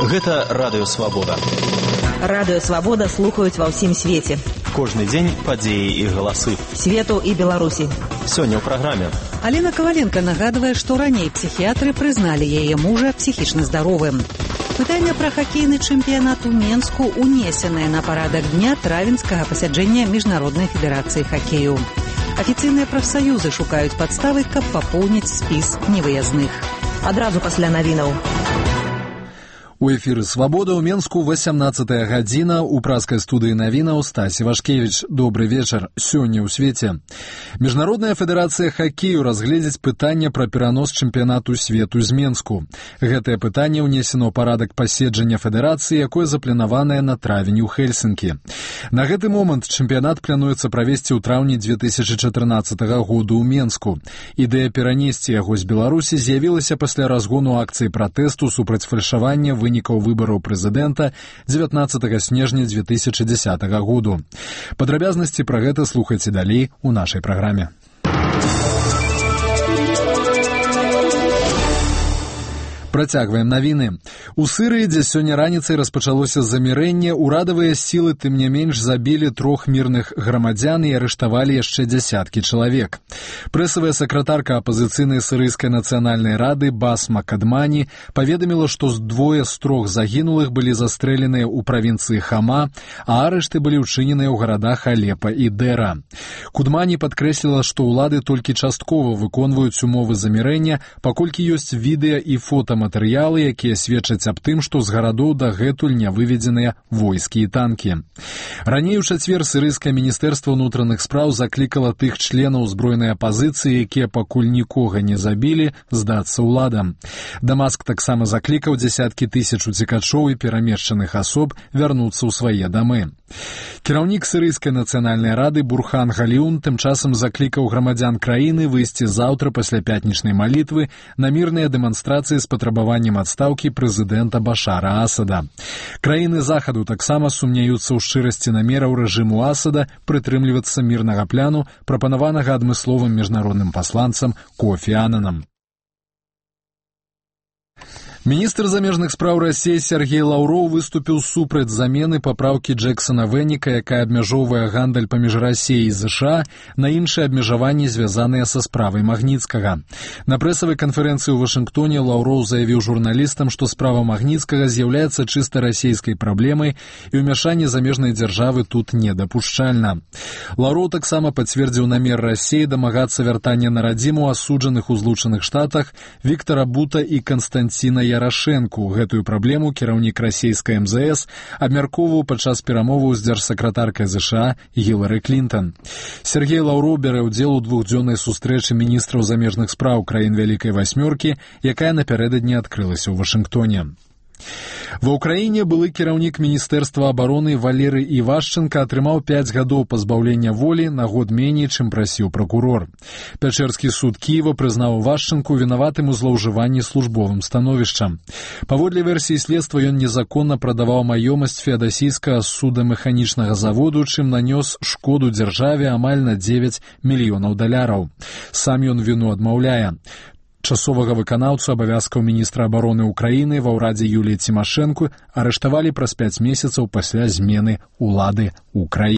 Гэта Радыё Свабода. Радыё Свабода слухаюць ва ўсім свеце. Кожны дзень падзеі і галасы. Свету і Беларусі. Сёння ў праграме. Алена Коваленко нагадвае, што раней псіхіятры прызналі яе мужа псіхічна здаровым. Пытанне пра хакейны чэмпіянат у Менску унесенае на парадак дня травеньскага пасяджэння Міжнароднай федэрацыі хакею. Афіцыйныя прафсаюзы шукаюць падставы, каб папоўніць спіс невыязных. Адразу пасля навінаў. У эфіры «Свабода» ў Менску 18 гадзіна. У праскай студыі навінаў Стасі Вашкевіч. Добры вечар. Сёння ў свеце. Міжнародная федэрацыя хакею разгледзіць пытанне пра перанос чэмпіянату свету з Менску. Гэтае пытанне ўнесено ў парадак паседжання федэрацыі, якое запланаванае на травень у Хельсінкі. На гэты момант чэмпіянат плануецца правесці ў траўні 2014 году ў Менску. Ідэя перанесці яго з Беларусі з'явілася пасля разгону акцыі пратэсту супраць фальшавання вынікаў выбараў прэзідэнта 19 снежня 2010 году. Падрабязнасці пра гэта слухайце далей у нашай праграме. Працягваем навіны. У Сырыі, дзе сёння раніцай распачалося замірэнне, урадавыя сілы тым не менш забілі 3 мірных грамадзян і арыштавалі яшчэ дзясяткі чалавек. Прэсавая сакратарка апазіцыйнай сырыйскай нацыянальнай рады Басма Кадмані паведаміла, што 2 з 3 загінулых былі застрэленыя ў правінцыі Хама, а арышты былі ўчыненыя ў гарадах Алепа і Дэра. Кудмані падкрэсліла, што ўлады толькі часткова выконваюць умовы замірэння, паколькі ёсць відэа і фотаматэрыялы, якія сведчаць аб тым, што з гарадоў дагэтуль не выведзеныя войскі і танкі. Раней у чацвер сырыйскае міністэрства ўнутраных спраў заклікала тых членаў узброенай апазіцыі, якія пакуль нікога не забілі, здацца ўладам. Дамаск таксама заклікаў дзясяткі тысяч уцекачоў і перамешчаных асоб вярнуцца ў свае дамы. Кіраўнік сырыйскай нацыянальнай рады Бурхан Галіун тым часам заклікаў грамадзян краіны выйсці заўтра пасля пятнічнай малітвы на мірныя дэманстрацыі з патрабаваннем адстаўкі прэзідэнта Башара Асада. Краіны захаду таксама сумняюцца ў шчырасці намераў рэжыму Асада прытрымлівацца мірнага пляну, прапанаванага адмысловым міжнародным пасланцам Кофі Ананам. Міністр замежных спраў Расіі Сергей Лаўроў выступіў супраць замены папраўкі Джексона Вэніка, якая абмяжоўвае гандаль паміж Расіяй і ЗША на іншыя абмежаванні, звязаныя са справай Магніцкага. На прэсавай канферэнцыі ў Вашынгтоне Лаўроў заявіў журналістам, што справа Магніцкага з'яўляецца чыста расійскай праблемай і ўмяшанне замежнай дзяржавы тут недапушчальна. Лаўроў таксама пацвердзіў намер Расіі дамагацца вяртання на радзіму асуджаных у Злучаных Штатах Віктара Бута і Канстанціна Ярашэнку. Гэтую праблему кіраўнік расійскай МЗС абмяркоўваў падчас перамоваў з дзяржсакратаркай ЗША Гілары Клінтон. Сергей Лаўроў бярэ ўдзел у 2-дзённай сустрэчы міністраў замежных спраў краін Вялікай Васьмёркі, якая напярэдадні адкрылася ў Вашынгтоне. Ва ўкраіне былы кіраўнік міністэрства абароны Валерый Івашченка атрымаў 5 гадоў пазбаўлення волі, на год меней, чым прасіў пракурор. Пячэрскі суд Кіева прызнаў Івашченку вінаватым у злоўжыванні службовым становішчам. Паводле версіі следства ён незаконна прадаваў маёмасць феадасійскага судамеханічнага заводу, чым нанёс шкоду дзяржаве амаль на $9 мільёнаў. Сам ён віну адмаўляе. Часовага выканаўцу абавязкаў міністра абароны ўкраіны ва ўрадзе Юліі Цімашэнку арыштавалі праз 5 месяцаў пасля змены ўлады ў краіне.